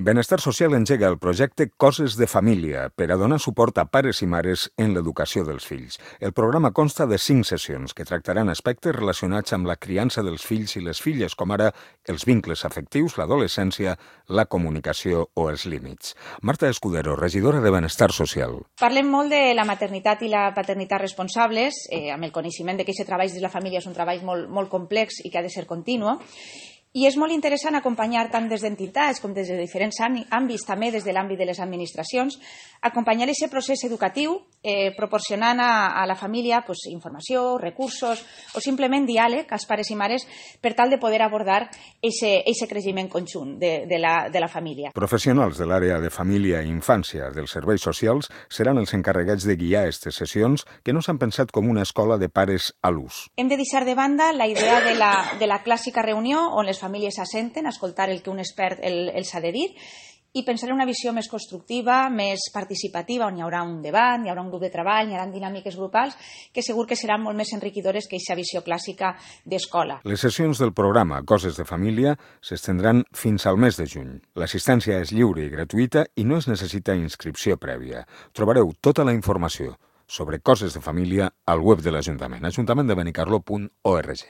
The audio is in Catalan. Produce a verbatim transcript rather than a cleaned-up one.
Benestar Social engega el projecte Coses de Família per a donar suport a pares i mares en l'educació dels fills. El programa consta de cinc sessions que tractaran aspectes relacionats amb la criança dels fills i les filles, com ara els vincles afectius, l'adolescència, la comunicació o els límits. Marta Escudero, regidora de Benestar Social. Parlem molt de la maternitat i la paternitat responsables, eh, amb el coneixement de que aquest treball de la família és un treball molt, molt complex i que ha de ser continu. I és molt interessant acompanyar tant des d'entitats com des de diferents àmbits, també des de l'àmbit de les administracions, acompanyar aquest procés educatiu eh, proporcionant a, a la família pues, informació, recursos o simplement diàleg als pares i mares per tal de poder abordar aquest creixement conjunt de, de, la, de la família. Professionals de l'àrea de família i infància dels serveis socials seran els encarregats de guiar aquestes sessions que no s'han pensat com una escola de pares a l'ús. Hem de deixar de banda la idea de la, de la clàssica reunió on les famílies s'assenten a escoltar el que un expert el, els ha de dir i pensar en una visió més constructiva, més participativa, on hi haurà un debat, hi haurà un grup de treball, hi haurà dinàmiques grupals, que segur que seran molt més enriquidores que aquesta visió clàssica d'escola. Les sessions del programa Coses de Família s'estendran fins al mes de juny. L'assistència és lliure i gratuïta i no es necessita inscripció prèvia. Trobareu tota la informació sobre Coses de Família al web de l'Ajuntament, ajuntament de benicarló punt org.